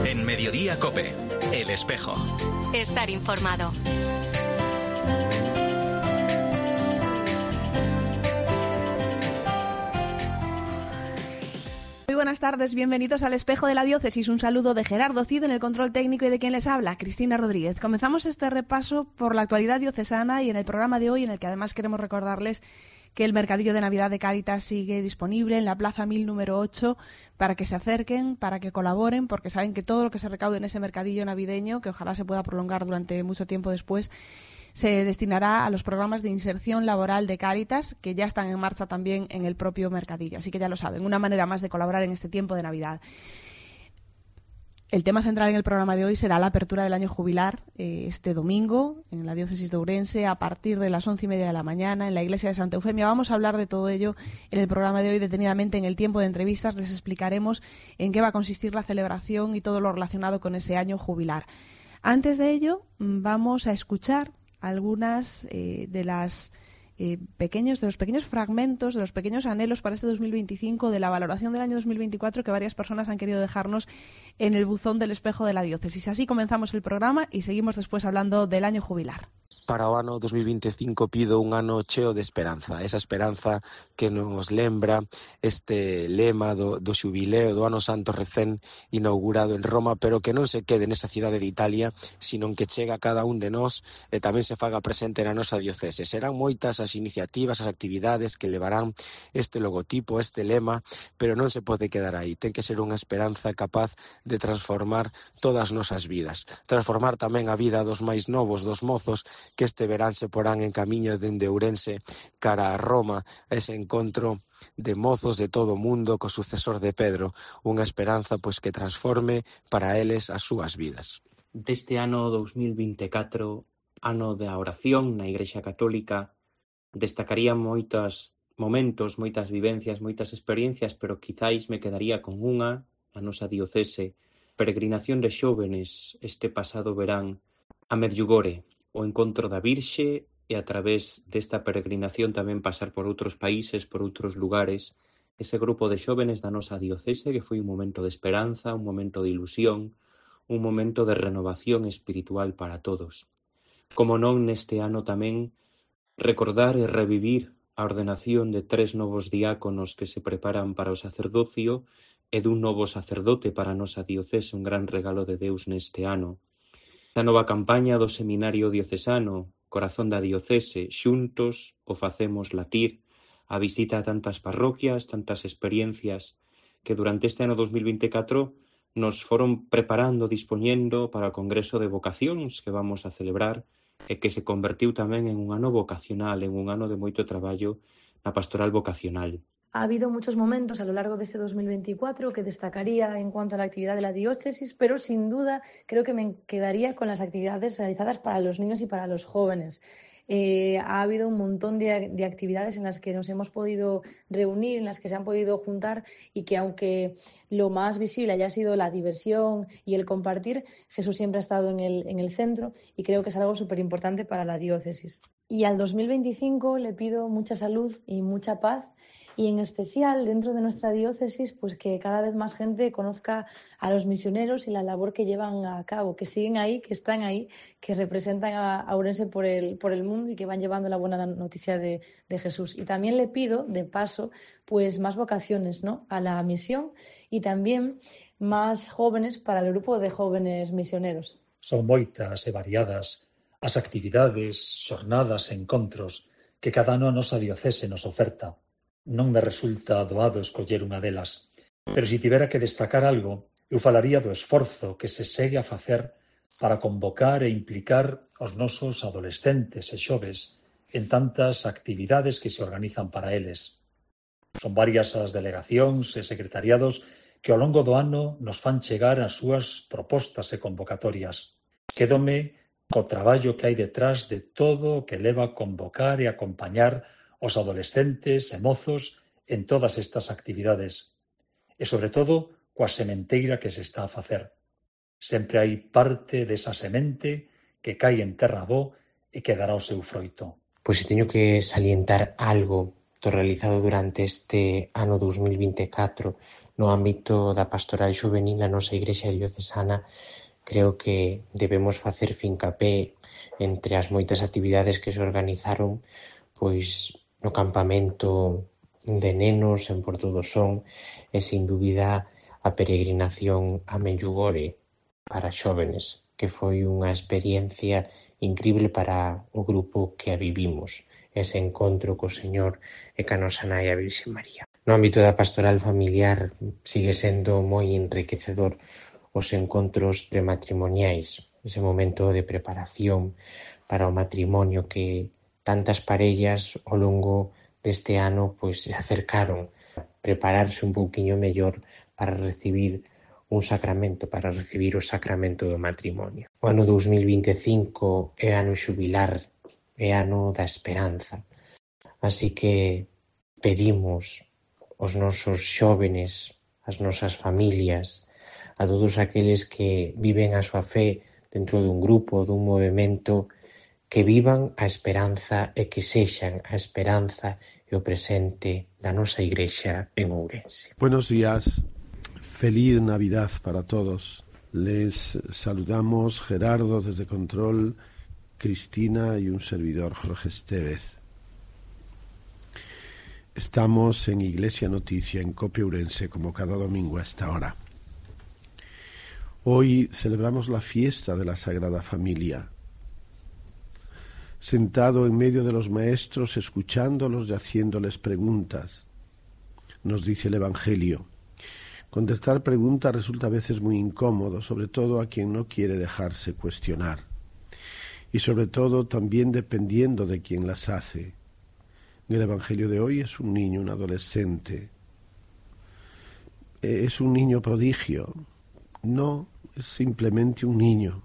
En Mediodía COPE, El Espejo. Estar informado. Muy buenas tardes, bienvenidos al Espejo de la Diócesis. Un saludo de Gerardo Cid en el control técnico y de quien les habla, Cristina Rodríguez. Comenzamos este repaso por la actualidad diocesana y en el programa de hoy, en el que además queremos recordarles que el mercadillo de Navidad de Cáritas sigue disponible en la Plaza 1000 número 8 para que se acerquen, para que colaboren, porque saben que todo lo que se recaude en ese mercadillo navideño, que ojalá se pueda prolongar durante mucho tiempo después, se destinará a los programas de inserción laboral de Cáritas, que ya están en marcha también en el propio mercadillo. Así que ya lo saben, una manera más de colaborar en este tiempo de Navidad. El tema central en el programa de hoy será la apertura del año jubilar este domingo en la diócesis de Ourense a partir de las 11:30 de la mañana en la iglesia de Santa Eufemia. Vamos a hablar de todo ello en el programa de hoy detenidamente. En el tiempo de entrevistas les explicaremos en qué va a consistir la celebración y todo lo relacionado con ese año jubilar. Antes de ello, vamos a escuchar algunas de los pequeños fragmentos, de los pequeños anhelos para este 2025, de la valoración del año 2024 que varias personas han querido dejarnos en el buzón del Espejo de la Diócesis. Así comenzamos el programa y seguimos después hablando del año jubilar. Para o ano 2025 pido un ano cheo de esperanza, esa esperanza que nos lembra este lema do xubileo do ano santo recén inaugurado en Roma, pero que non se quede nesa cidade de Italia, sino que chega a cada un de nós e tamén se faga presente na nosa diocese. Serán moitas as iniciativas, as actividades que levarán este logotipo, este lema, pero non se pode quedar aí. Ten que ser unha esperanza capaz de transformar todas as nosas vidas, transformar tamén a vida dos máis novos, dos mozos, que este verán se porán en camiño dende Ourense cara a Roma, ese encontro de mozos de todo o mundo co sucesor de Pedro, unha esperanza pois que transforme para eles as súas vidas. Deste ano 2024, ano da oración na Igrexa Católica, destacaría moitos momentos, moitas vivencias, moitas experiencias, pero quizáis me quedaría con unha, a nosa diocese, peregrinación de xóvenes este pasado verán a Medjugorje, o encontro da Virxe e a través desta peregrinación tamén pasar por outros países, por outros lugares, ese grupo de xóvenes da nosa diocese que foi un momento de esperanza, un momento de ilusión, un momento de renovación espiritual para todos. Como non neste ano tamén recordar e revivir a ordenación de 3 novos diáconos que se preparan para o sacerdocio e dun novo sacerdote para a nosa diocese, un gran regalo de Deus neste ano. A nova campaña do Seminario Diocesano, Corazón da Diocese, xuntos o facemos latir, a visita a tantas parroquias, tantas experiencias que durante este ano 2024 nos foron preparando, dispoñendo para o Congreso de Vocacións que vamos a celebrar e que se convertiu tamén en un ano vocacional, en un ano de moito traballo na pastoral vocacional. Ha habido muchos momentos a lo largo de este 2024 que destacaría en cuanto a la actividad de la diócesis, pero sin duda creo que me quedaría con las actividades realizadas para los niños y para los jóvenes. Ha habido un montón de actividades en las que nos hemos podido reunir, en las que se han podido juntar y que aunque lo más visible haya sido la diversión y el compartir, Jesús siempre ha estado en el centro y creo que es algo súper importante para la diócesis. Y al 2025 le pido mucha salud y mucha paz. Y en especial dentro de nuestra diócesis, pues que cada vez más gente conozca a los misioneros y la labor que llevan a cabo, que siguen ahí, que están ahí, que representan a Ourense por el mundo y que van llevando la buena noticia de Jesús. Y también le pido, de paso, pues más vocaciones, ¿no?, a la misión y también más jóvenes para el grupo de jóvenes misioneros. Son moitas e variadas as actividades, xornadas e encontros que cada ano a nosa diocese nos oferta. Non me resulta doado escoller unha delas, pero se tivera que destacar algo, eu falaría do esforzo que se segue a facer para convocar e implicar os nosos adolescentes e xoves en tantas actividades que se organizan para eles. Son varias as delegacións e secretariados que ao longo do ano nos fan chegar as súas propostas e convocatorias. Quédome co traballo que hai detrás de todo o que leva a convocar e acompañar os adolescentes e mozos en todas estas actividades e, sobre todo, coa sementeira que se está a facer. Sempre hai parte desa semente que cae en terra bo e que dará o seu froito. Pois se teño que salientar algo do realizado durante este ano 2024 no ámbito da pastoral xuvenil na nosa Igrexa diocesana, creo que debemos facer fincapé entre as moitas actividades que se organizaron, pois no campamento de nenos en Porto do Son e, sin dúbida, a peregrinación a Medjugorje para xóvenes, que foi unha experiencia incrível para o grupo que a vivimos, ese encontro co Señor e ca nosa nai a Virxe María. No ámbito da pastoral familiar sigue sendo moi enriquecedor os encontros prematrimoniais, ese momento de preparación para o matrimonio que tantas parellas ao longo deste ano pois se acercaron a prepararse un pouquiño mellor para recibir un sacramento, para recibir o sacramento do matrimonio. O ano 2025 é ano xubilar, é ano da esperanza. Así que pedimos aos nosos xóvenes, as nosas familias, a todos aqueles que viven a súa fe dentro dun grupo, dun movemento, que vivan a esperanza e que sexan a esperanza e o presente da nosa Igrexa en Ourense. Buenos días, feliz Navidad para todos. Les saludamos Gerardo desde Control, Cristina y un servidor, Jorge Estevez. Estamos en Iglesia Noticia, en COPE Ourense, como cada domingo a esta hora. Hoy celebramos la fiesta de la Sagrada Familia. Sentado en medio de los maestros, escuchándolos y haciéndoles preguntas, nos dice el Evangelio. Contestar preguntas resulta a veces muy incómodo, sobre todo a quien no quiere dejarse cuestionar. Y sobre todo también dependiendo de quien las hace. El Evangelio de hoy es un niño, un adolescente. ¿Es un niño prodigio? No, es simplemente un niño.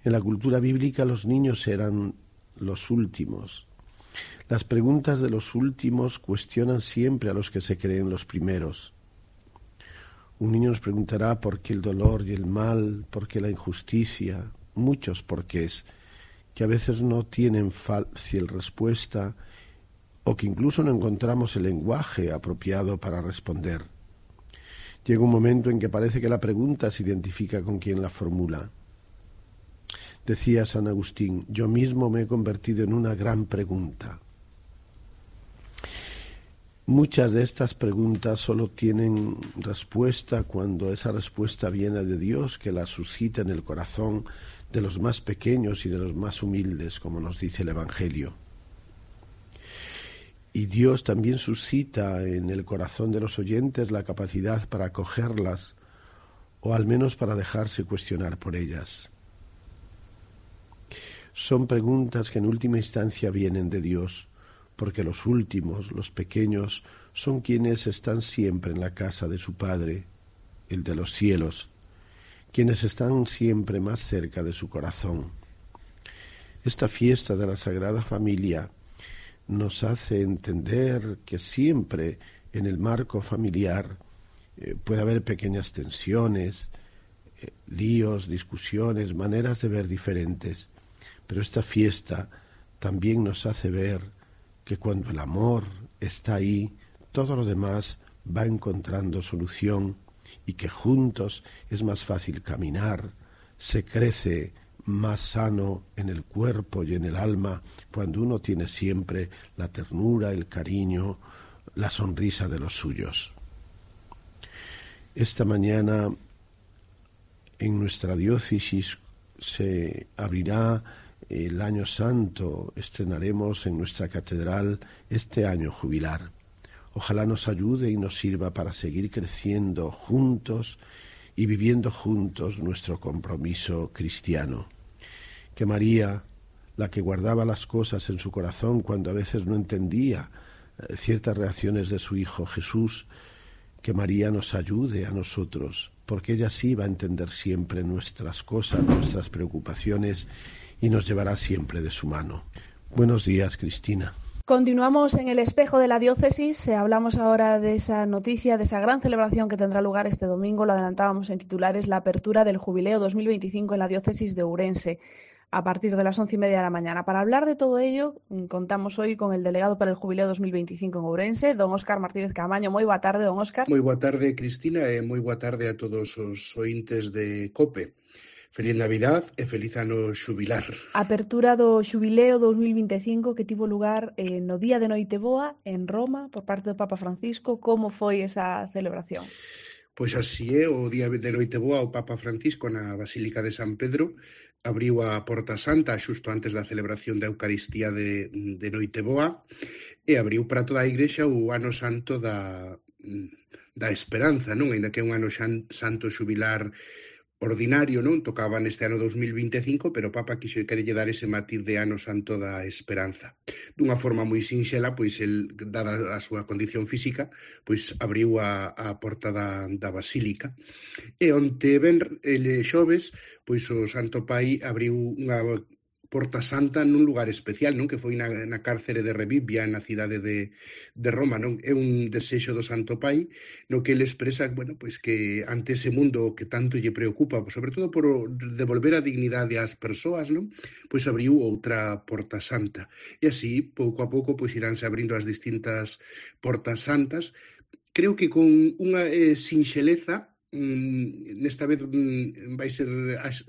En la cultura bíblica los niños eran los últimos. Las preguntas de los últimos cuestionan siempre a los que se creen los primeros. Un niño nos preguntará por qué el dolor y el mal, por qué la injusticia, muchos porqués, que a veces no tienen fácil respuesta o que incluso no encontramos el lenguaje apropiado para responder. Llega un momento en que parece que la pregunta se identifica con quien la formula. Decía San Agustín, yo mismo me he convertido en una gran pregunta. Muchas de estas preguntas solo tienen respuesta cuando esa respuesta viene de Dios, que la suscita en el corazón de los más pequeños y de los más humildes, como nos dice el Evangelio. Y Dios también suscita en el corazón de los oyentes la capacidad para acogerlas, o al menos para dejarse cuestionar por ellas. Son preguntas que en última instancia vienen de Dios, porque los últimos, los pequeños, son quienes están siempre en la casa de su Padre, el de los cielos, quienes están siempre más cerca de su corazón. Esta fiesta de la Sagrada Familia nos hace entender que siempre en el marco familiar puede haber pequeñas tensiones, líos, discusiones, maneras de ver diferentes, pero esta fiesta también nos hace ver que cuando el amor está ahí, todo lo demás va encontrando solución y que juntos es más fácil caminar, se crece más sano en el cuerpo y en el alma cuando uno tiene siempre la ternura, el cariño, la sonrisa de los suyos. Esta mañana en nuestra diócesis se abrirá el Año Santo, estrenaremos en nuestra catedral este año jubilar. Ojalá nos ayude y nos sirva para seguir creciendo juntos y viviendo juntos nuestro compromiso cristiano. Que María, la que guardaba las cosas en su corazón cuando a veces no entendía ciertas reacciones de su Hijo Jesús, que María nos ayude a nosotros, porque ella sí va a entender siempre nuestras cosas, nuestras preocupaciones, y nos llevará siempre de su mano. Buenos días, Cristina. Continuamos en el espejo de la diócesis. Hablamos ahora de esa noticia, de esa gran celebración que tendrá lugar este domingo. Lo adelantábamos en titulares, la apertura del Jubileo 2025 en la diócesis de Ourense. a partir de las 11:30 de la mañana. Para hablar de todo ello, contamos hoy con el delegado para el Jubileo 2025 en Ourense, don Óscar Martínez Camaño. Moi boa tarde, don Óscar. Moi boa tarde, Cristina, e moi boa tarde a todos os ointes de COPE. Feliz Navidad e feliz ano xubilar. Apertura do Xubileo 2025 que tivo lugar no día de Noiteboa en Roma por parte do Papa Francisco. Como foi esa celebración? Pois así é, o día de Noiteboa o Papa Francisco na Basílica de San Pedro abriu a Porta Santa xusto antes da celebración da Eucaristía de Noiteboa e abriu para toda a Igrexa o ano santo da esperanza, non? Ainda que é un ano santo xubilar ordinario, non? Tocaba neste ano 2025, pero o Papa querelle dar ese matiz de ano santo da esperanza. Dunha forma moi sinxela, pois el, dada a súa condición física, pois abriu a porta da Basílica. E onte xoves, pois o Santo Pai abriu unha Porta Santa nun lugar especial, non? Que foi na cárcere de Revivia, na cidade de Roma, non? É un desexo do Santo Pai, no que ele expresa, bueno, pois que ante ese mundo que tanto lle preocupa, sobre todo por devolver a dignidade ás persoas, non? Pois abriu outra Porta Santa. E así, pouco a pouco, pois iránse abrindo as distintas Portas Santas. Creo que con unha sinxeleza, nesta vez vai ser,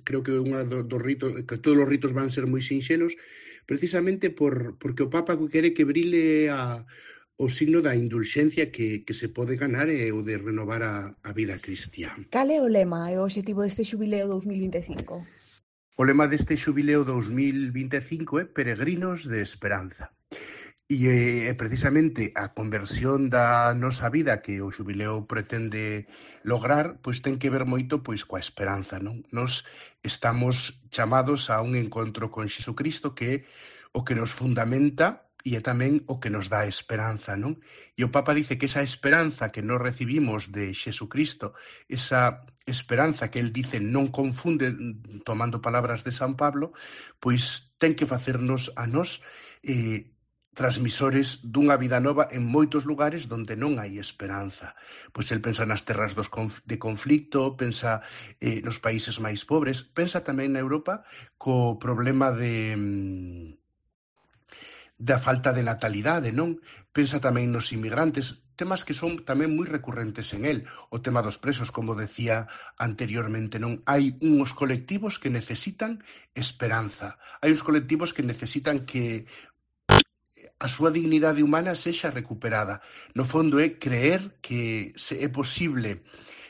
creo que unha dos ritos, que todos os ritos van ser moi sinxelos, precisamente porque o Papa quere que brile o signo da indulxencia que se pode ganar e o de renovar a vida cristiá. Cal é o lema e o obxectivo deste Xubileo 2025? O lema deste Xubileo 2025 é Peregrinos de Esperanza. E precisamente a conversión da nosa vida que o xubileo pretende lograr, pois ten que ver moito pois coa esperanza, non? Nos estamos chamados a un encontro con Xesucristo que é o que nos fundamenta e é tamén o que nos dá esperanza, non? E o Papa dice que esa esperanza que nos recibimos de Xesucristo, esa esperanza que el dice non confunde, tomando palabras de San Pablo, pois ten que facernos a nos transmisores dunha vida nova en moitos lugares onde non hai esperanza. Pois el pensa nas terras de conflicto, pensa nos países máis pobres, pensa tamén na Europa co problema da falta de natalidade, non? Pensa tamén nos inmigrantes, temas que son tamén moi recurrentes en el. O tema dos presos, como decía anteriormente, non? Hai uns colectivos que necesitan esperanza. Hai uns colectivos que necesitan que a súa dignidade humana sexa recuperada. No fondo é creer que é posible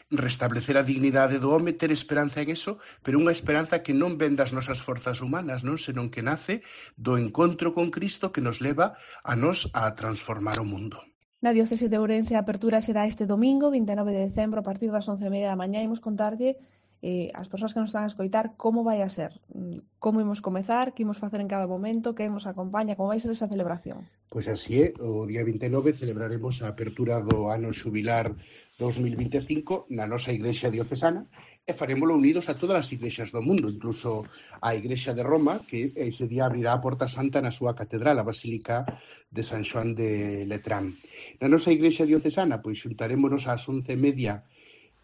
restablecer a dignidade do home, ter esperanza en eso, pero unha esperanza que non ven das nosas forzas humanas, non, senón que nace do encontro con Cristo que nos leva a nos a transformar o mundo. Na diocese de Ourense a apertura será este domingo, 29 de decembro, a partir das 11:30 da mañá. Imos contarlle as persoas que nos están a escoitar como vai a ser, como imos comezar, que imos facer en cada momento, que nos acompaña, como vai ser esa celebración. Pois así é, o día 29 celebraremos a apertura do ano xubilar 2025 na nosa igrexa diocesana e farémolo unidos a todas as igrexas do mundo, incluso a igrexa de Roma, que ese día abrirá a Porta Santa na súa catedral, a Basílica de San Xoán de Letrán. Na nosa igrexa diocesana, pois xuntarémonos ás 11:30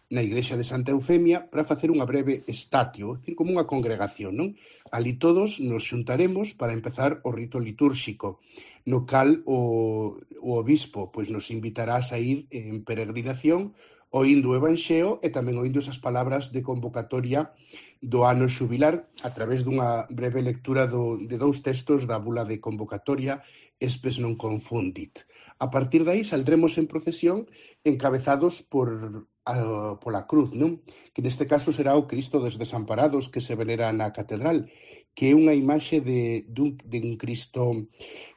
na igrexa de Santa Eufemia para facer unha breve estatio, é dicir, como unha congregación, non? Ali todos nos xuntaremos para empezar o rito litúrxico, no cal o obispo pois nos invitará a sair en peregrinación oíndo o Evanxeo e tamén oíndo esas palabras de convocatoria do ano xubilar a través dunha breve lectura de dous textos da bula de convocatoria Espes non confundit. A partir de aí saldremos en procesión encabezados pola cruz, non? Que neste caso será o Cristo dos Desamparados que se venera na catedral, que é unha imaxe dun Cristo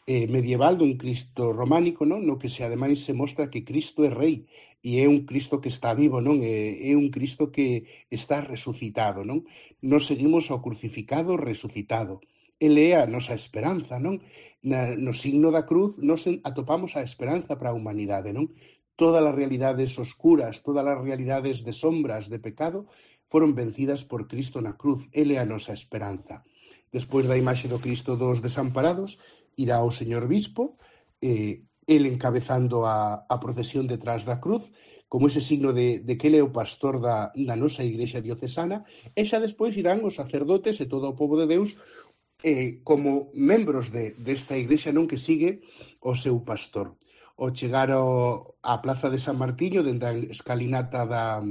medieval, dun Cristo románico, non? No que ademais se mostra que Cristo é rei e é un Cristo que está vivo, non? É un Cristo que está resucitado, non? Nos seguimos ao crucificado resucitado. Ele é a nosa esperanza, non? No signo da cruz nos atopamos a esperanza para a humanidade, non? Todas as realidades oscuras, todas as realidades de sombras, de pecado, foron vencidas por Cristo na cruz. Ele é a nosa esperanza. Despois da imaxe do Cristo dos Desamparados, irá o señor bispo, el encabezando a procesión detrás da cruz, como ese signo de que ele é o pastor da nosa Igrexa diocesana, e xa despois irán os sacerdotes e todo o pobo de Deus como membros desta Igrexa non que sigue o seu pastor. Ao chegar á Plaza de San Martiño, dende a escalinata da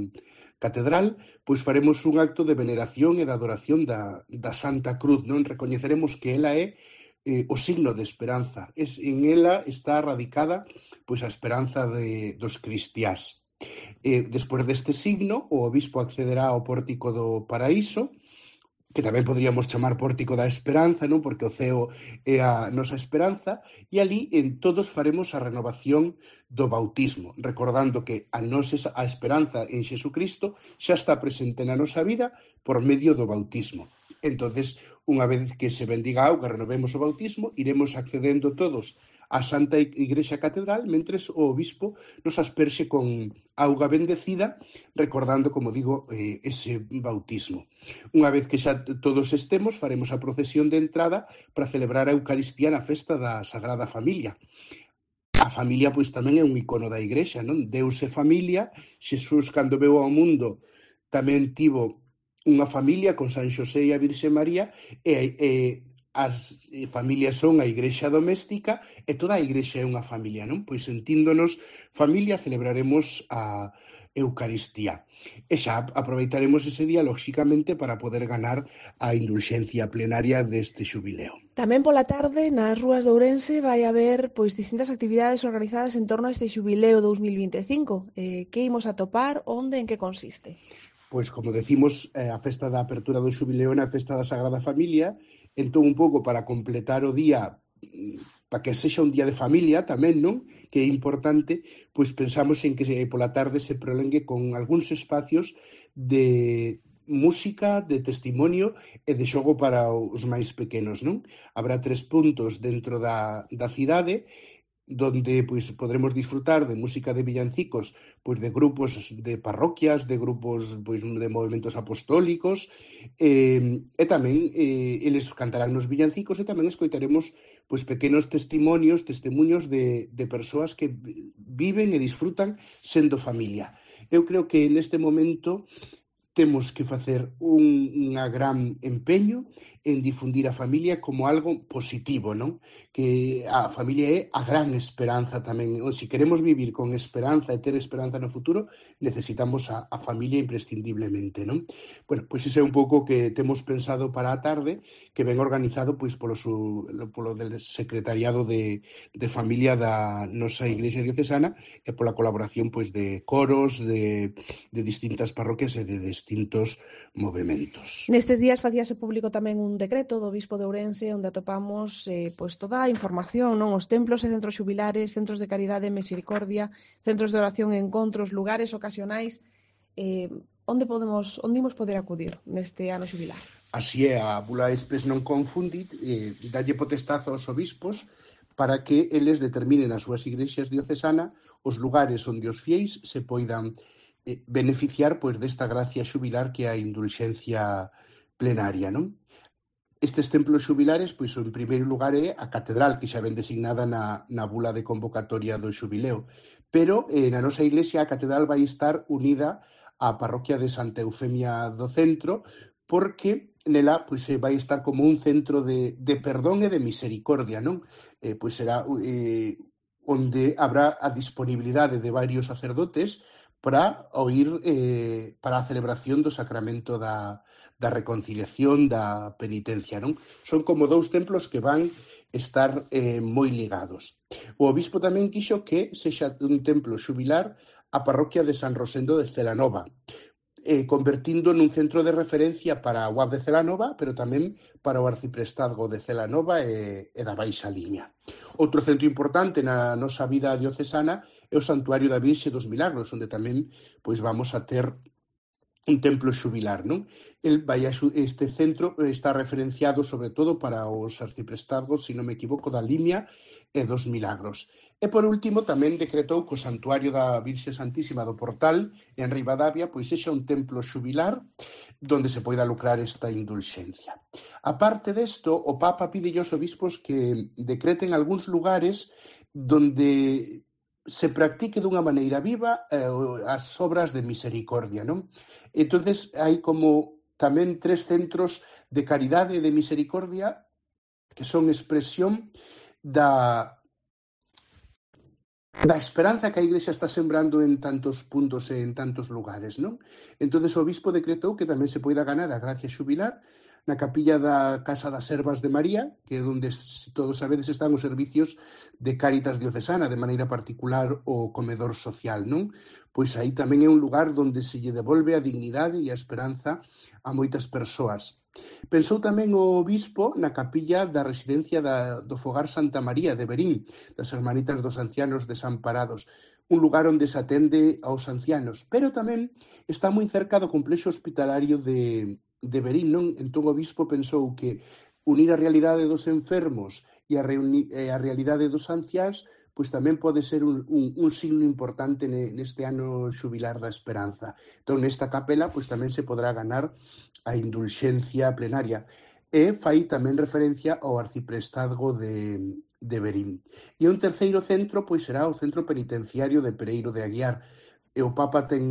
catedral, pois faremos un acto de veneración e de adoración da Santa Cruz, non? Recoñeceremos que ela é o signo de esperanza. En ela está radicada pois a esperanza dos cristiás. Despois deste signo, o obispo accederá ao pórtico do paraíso, que tamén podríamos chamar pórtico da esperanza, non? Porque o ceo é a nosa esperanza, e ali todos faremos a renovación do bautismo, recordando que a esperanza en Xesucristo xa está presente na nosa vida por medio do bautismo. Entonces, unha vez que se bendiga a auga, renovemos o bautismo, iremos accedendo todos á Santa Igrexa Catedral, mentres o obispo nos asperxe con auga bendecida, recordando, como digo, ese bautismo. Unha vez que xa todos estemos, faremos a procesión de entrada para celebrar a Eucaristía na festa da Sagrada Familia. A familia, pois, tamén é un icono da Igrexa, non? Deus é familia, Xesús, cando veu ao mundo, tamén tivo unha familia con San Xosé e a Virxe María, e as familias son a Igrexa doméstica e toda a Igrexa é unha familia, non? Pois sentíndonos familia celebraremos a Eucaristía. E xa aproveitaremos ese día, lóxicamente, para poder ganar a indulxencia plenaria deste xubileo. Tamén pola tarde, nas rúas de Ourense, vai haber pois distintas actividades organizadas en torno a este xubileo 2025. Que imos a topar, onde, en que consiste? Pois, como decimos, a festa da apertura do xubileo na festa da Sagrada Familia. Entón, un pouco para completar o día, para que sexa un día de familia tamén, non? Que é importante, pois pensamos en que pola tarde se prolongue con algúns espacios de música, de testimonio e de xogo para os máis pequenos, non? Habrá 3 puntos dentro da cidade, donde pois podremos disfrutar de música de villancicos, pois de grupos de parroquias, de grupos pois de movementos apostólicos, e tamén eles cantarán nos villancicos e tamén escoitaremos pois pequenos temuños de persoas que viven e disfrutan sendo familia. Eu creo que neste momento temos que facer un gran empeño en difundir a familia como algo positivo, non? Que a familia é a gran esperanza tamén. Se queremos vivir con esperanza e ter esperanza no futuro, necesitamos a familia imprescindiblemente, non? Bueno, pois ese é un pouco que temos pensado para a tarde, que ven organizado pois polo del secretariado de familia da nosa Igrexa diocesana e pola colaboración pois de coros, de distintas parroquias e de distintos movementos. Nestes días facíase público tamén un decreto do Bispo de Ourense onde atopamos pois toda a información, non? Os templos e centros xubilares, centros de caridade e misericordia, centros de oración e encontros, lugares ocasionais, onde imos poder acudir neste ano xubilar? Así é, a Bula Expres non confundit, dalle potestad aos obispos para que eles determinen as súas igrexas diocesana os lugares onde os fieis se poidan beneficiar pois desta gracia xubilar que é a indulxencia plenaria, non? Estes templos xubilares, pois, en primeiro lugar, é a catedral, que xa ven designada na bula de convocatoria do xubileo. Pero, na nosa iglesia, a catedral vai estar unida á parroquia de Santa Eufemia do Centro, porque nela pois, vai estar como un centro de perdón e de misericordia, non? Pois será onde habrá a disponibilidade de varios sacerdotes para a celebración do sacramento da reconciliación, da penitencia, non? Son como 2 templos que van estar moi ligados. O obispo tamén quixo que sexa un templo xubilar a parroquia de San Rosendo de Celanova, convertindo nun centro de referencia para a UAB de Celanova, pero tamén para o arciprestazgo de Celanova e da Baixa Limia. Outro centro importante na nosa vida diocesana é o Santuario da Virxe dos Milagros, onde tamén pois vamos a ter un templo xubilar, non? Este centro está referenciado sobre todo para os arciprestazgos, se non me equivoco, da Limia e dos Milagros. E por último tamén decretou que o Santuario da Virxe Santísima do Portal en Ribadavia pois sexa un templo xubilar donde se poida lucrar esta indulxencia. A parte desto, o Papa pide aos obispos que decreten algúns lugares donde se practique dunha maneira viva as obras de misericordia, non? Entonces, hai como tamén 3 centros de caridade e de misericordia que son expresión da esperanza que a Igrexa está sembrando en tantos puntos e en tantos lugares, non? Entonces, o obispo decretou que tamén se poida ganar a gracia xubilar na capilla da Casa das Servas de María, que é onde, se todos sabedes, están os servicios de Cáritas Diocesana, de maneira particular o comedor social, non? Pois aí tamén é un lugar onde se lle devolve a dignidade e a esperanza a moitas persoas. Pensou tamén o obispo na capilla da residencia do Fogar Santa María de Verín, das Hermanitas dos Ancianos Desamparados, un lugar onde se atende aos ancianos, pero tamén está moi cerca do complexo hospitalario de Verín, non? Entón o obispo pensou que unir a realidade dos enfermos e a realidade dos anciáns pois tamén pode ser un signo importante neste ano xubilar da esperanza. Entón, nesta capela, pois tamén se podrá ganar a indulxencia plenaria. E fai tamén referencia ao arciprestazgo de Verín. E un terceiro centro, pois será o centro penitenciario de Pereiro de Aguiar. E o Papa ten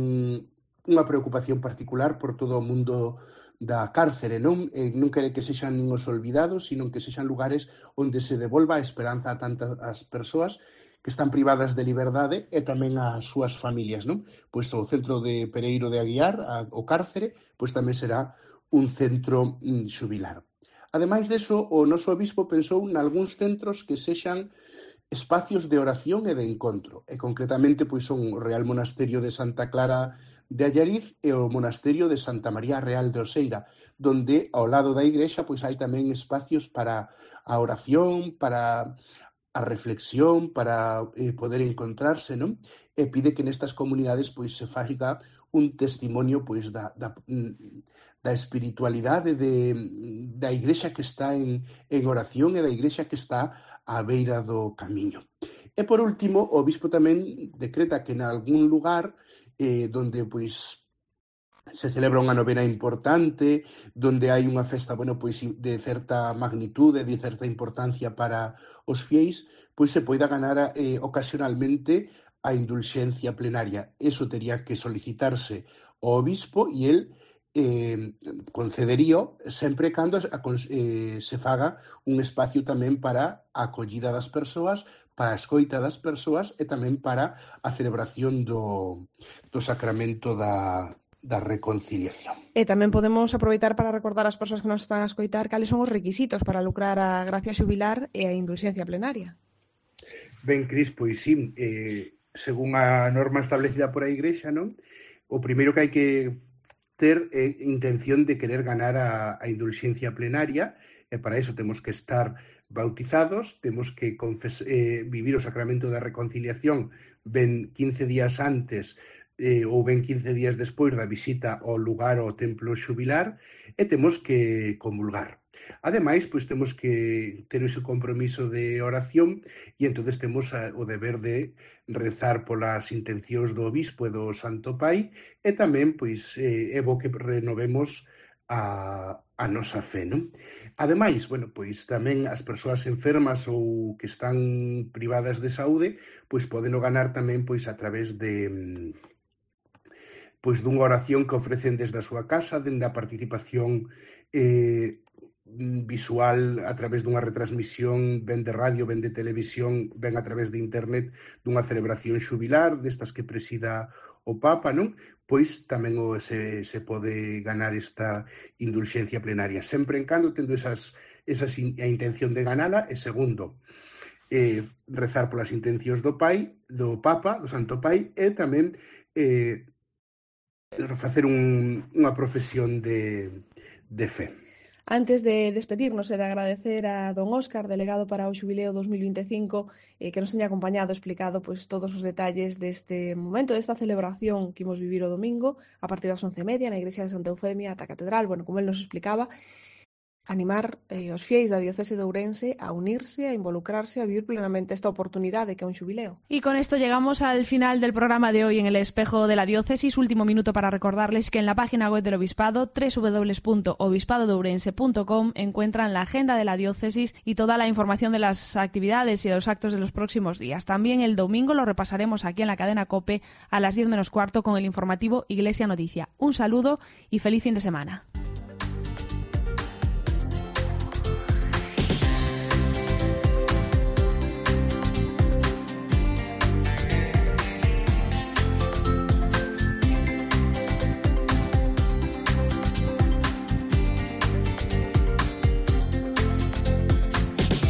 unha preocupación particular por todo o mundo da cárcere, non? Non quere que sexan nin os olvidados, sino que sexan lugares onde se devolva a esperanza a tantas persoas que están privadas de liberdade e tamén ás súas familias, non? Pois o centro de Pereiro de Aguiar, o cárcere, pois tamén será un centro xubilar. Ademais deso, o noso obispo pensou nalgúns centros que sexan espacios de oración e de encontro, e concretamente pois son o Real Monasterio de Santa Clara de Allariz e o Monasterio de Santa María Real de Oseira, donde ao lado da igrexa pois hai tamén espacios para a oración, para a reflexión, para poder encontrarse, non? E pide que nestas comunidades pois se faiga un testimonio pois da espiritualidade da igrexa que está en oración e da igrexa que está á beira do camiño. E por último, o obispo tamén decreta que en algún lugar donde pois se celebra unha novena importante, donde hai unha festa, pois de certa magnitude, de certa importancia para os fieis, pois se poida ganar ocasionalmente a indulxencia plenaria. Eso tería que solicitarse ao obispo e el concederío sempre cando se faga un espacio tamén para a acollida das persoas, para a escoita das persoas e tamén para a celebración do sacramento da reconciliación. E tamén podemos aproveitar para recordar ás persoas que nos están a escoitar cales son os requisitos para lucrar a gracia xubilar e a indulxencia plenaria. Ben, Cris, pois sí, según a norma establecida por a Igrexa, non? O primeiro que hai que ter é intención de querer ganar a indulxencia plenaria, e para iso temos que estar bautizados, temos que vivir o sacramento da reconciliación ben 15 días antes ou ben 15 días despois da visita ao lugar ao templo xubilar e temos que comulgar. Ademais, pois temos que ter ese compromiso de oración e entonces temos o deber de rezar polas intencións do obispo e do Santo Pai e tamén, pois, é bo que renovemos a nosa fe, non? Ademais, pois tamén as persoas enfermas ou que están privadas de saúde, pois poden ganar tamén pois a través de dunha oración que ofrecen desde a súa casa, dende a participación visual a través dunha retransmisión ben de radio, ben de televisión, ben a través de internet dunha celebración xubilar destas que presida o Papa, non? Pois tamén se pode ganar esta indulxencia plenaria, sempre en cando tendo a intención de ganala e segundo, rezar polas intencións do Papa, do Santo Pai e tamén facer unha profesión de fe. Antes de despedirnos e de agradecer a don Óscar, delegado para o Xubileo 2025, que nos teña acompañado, explicado pois todos os detalles deste momento, desta celebración que imos vivir o domingo, a partir das 11:30 na Igrexa de Santa Eufemia, ata a Catedral, como el nos explicaba. animar os fieis da diocese de Ourense a unirse, a involucrarse, a vivir plenamente esta oportunidade que é un xubileo. Y con esto llegamos al final del programa de hoy en el Espejo de la Diócesis. Último minuto para recordarles que en la página web del Obispado, www.obispado-de-ourense.com, encuentran la agenda de la diócesis y toda la información de las actividades y de los actos de los próximos días. También el domingo lo repasaremos aquí en la cadena COPE a las 10 menos cuarto con el informativo Iglesia Noticia. Un saludo y feliz fin de semana.